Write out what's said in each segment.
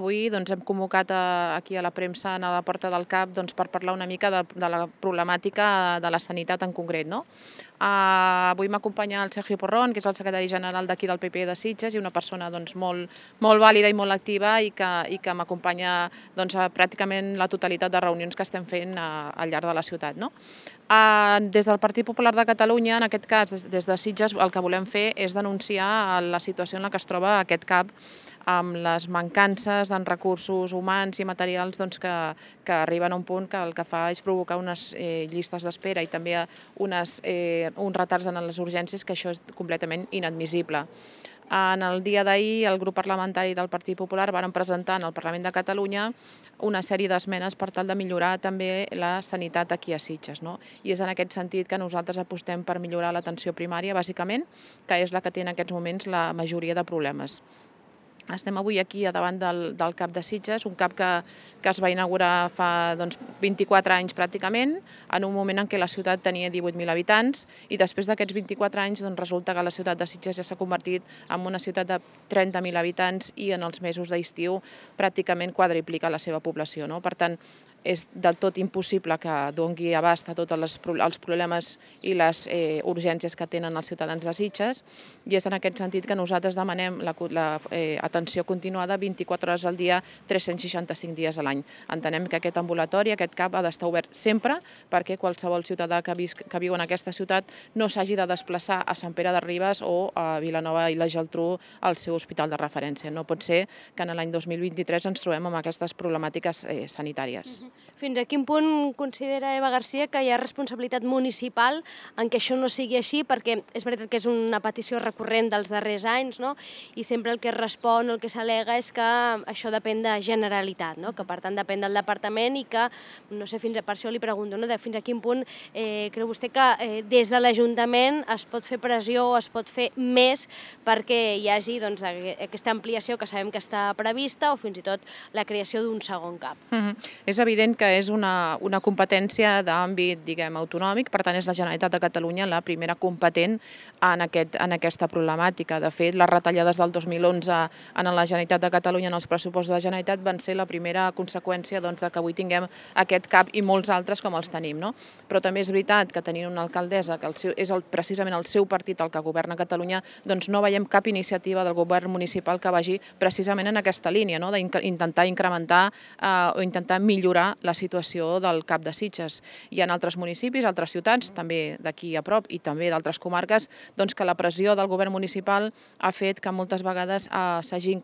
avui hem convocat aquí a la premsa a la Porta del CAP per parlar una mica de la problemàtica de la sanitat en concret. Avui m'acompanya el Sergio Porrón, que és el secretari general d'aquí del PP de Sitges i una persona molt vàlida i molt activa i que m'acompanya pràcticament la totalitat de reunions que estem fent al llarg de la ciutat. Des del Partit Popular de Catalunya, en aquest cas des de Sitges, el que volem fer és denunciar la situació en la que es troba aquest CAP amb les mancances en recursos humans i materials que arriben a un punt que el que fa és provocar unes llistes d'espera i també uns retards en les urgències, que això és completament inadmissible. En el dia d'ahir, el grup parlamentari del Partit Popular varen presentar al Parlament de Catalunya una sèrie d'esmenes per tal de millorar també la sanitat aquí a Sitges. I és en aquest sentit que nosaltres apostem per millorar l'atenció primària, bàsicament, que és la que té en aquests moments la majoria de problemes. Estem avui aquí davant del CAP de Sitges, un CAP que es va inaugurar fa 24 anys pràcticament, en un moment en què la ciutat tenia 18.000 habitants i després d'aquests 24 anys resulta que la ciutat de Sitges ja s'ha convertit en una ciutat de 30.000 habitants i en els mesos d'estiu pràcticament quadriplica la seva població. Per tant, és del tot impossible que doni abast a tots els problemes i les urgències que tenen els ciutadans de Sitges, i és en aquest sentit que nosaltres demanem l'atenció continuada 24 hores al dia, 365 dies a l'any. Entenem que aquest ambulatori, aquest CAP, ha d'estar obert sempre perquè qualsevol ciutadà que viu en aquesta ciutat no s'hagi de desplaçar a Sant Pere de Ribes o a Vilanova i la Geltrú al seu hospital de referència. No pot ser que en l'any 2023 ens trobem amb aquestes problemàtiques sanitàries. Fins a quin punt considera Eva Garcia que hi ha responsabilitat municipal en què això no sigui així? Perquè és veritat que és una petició recurrent dels darrers anys, i sempre el que es respon, el que s'al·lega és que això depèn de Generalitat, que per tant depèn del departament i que, no sé, per això li pregunto, fins a quin punt creu vostè que des de l'Ajuntament es pot fer pressió o es pot fer més perquè hi hagi aquesta ampliació que sabem que està prevista o fins i tot la creació d'un segon CAP? És evident que és una competència d'àmbit, autonòmic, per tant és la Generalitat de Catalunya la primera competent en aquesta problemàtica. De fet, les retallades del 2011 en la Generalitat de Catalunya, en els pressupostos de la Generalitat, van ser la primera conseqüència que avui tinguem aquest CAP i molts altres com els tenim. Però també és veritat que tenint una alcaldessa que és precisament el seu partit el que governa Catalunya, no veiem cap iniciativa del govern municipal que vagi precisament en aquesta línia, d'intentar incrementar o intentar millorar la situació del CAP de Sitges. Hi ha altres municipis, altres ciutats, també d'aquí a prop i també d'altres comarques, que la pressió del govern municipal ha fet que moltes vegades s'hagin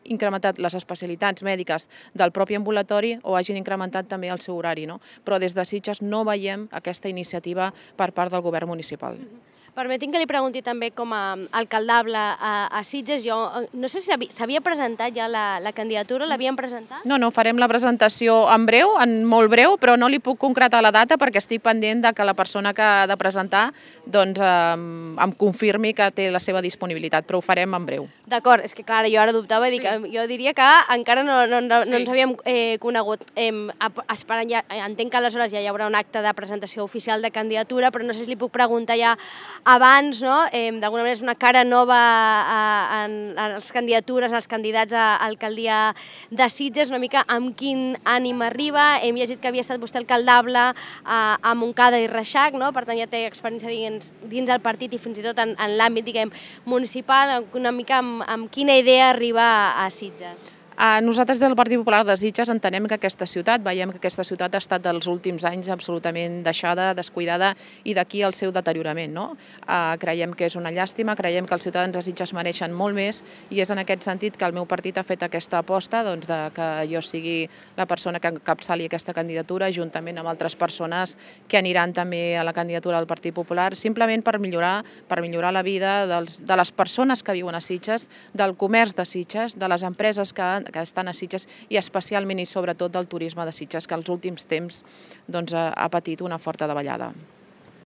incrementat les especialitats mèdiques del propi ambulatori o hagin incrementat també el seu horari. Però des de Sitges no veiem aquesta iniciativa per part del govern municipal. Permeti'm que li pregunti també com a alcaldable a Sitges. Jo no sé si s'havia presentat ja la candidatura, l'havien presentat? No, farem la presentació en breu, en molt breu, però no li puc concretar la data perquè estic pendent que la persona que ha de presentar em confirmi que té la seva disponibilitat, però ho farem en breu. D'acord, és que clar, jo ara dubtava, jo diria que encara no ens havíem conegut. Entenc que aleshores ja hi haurà un acte de presentació oficial de candidatura, però no sé si li puc preguntar ja abans, d'alguna manera és una cara nova en les candidatures, als candidats a alcaldia de Sitges, una mica amb quin ànim arriba. Hem llegit que havia estat vostè alcaldable a Montcada i Reixac, per tant ja té experiència dins el partit i fins i tot en l'àmbit municipal, una mica amb quina idea arriba a Sitges. Nosaltres del Partit Popular de Sitges entenem que aquesta ciutat, veiem que aquesta ciutat ha estat dels últims anys absolutament deixada, descuidada i d'aquí el seu deteriorament. Creiem que és una llàstima, creiem que els ciutadans de Sitges mereixen molt més i és en aquest sentit que el meu partit ha fet aquesta aposta que jo sigui la persona que encapçali aquesta candidatura juntament amb altres persones que aniran també a la candidatura del Partit Popular, simplement per millorar la vida de les persones que viuen a Sitges, del comerç de Sitges, de les empreses que estan a Sitges i especialment i sobretot del turisme de Sitges, que als últims temps ha patit una forta davallada.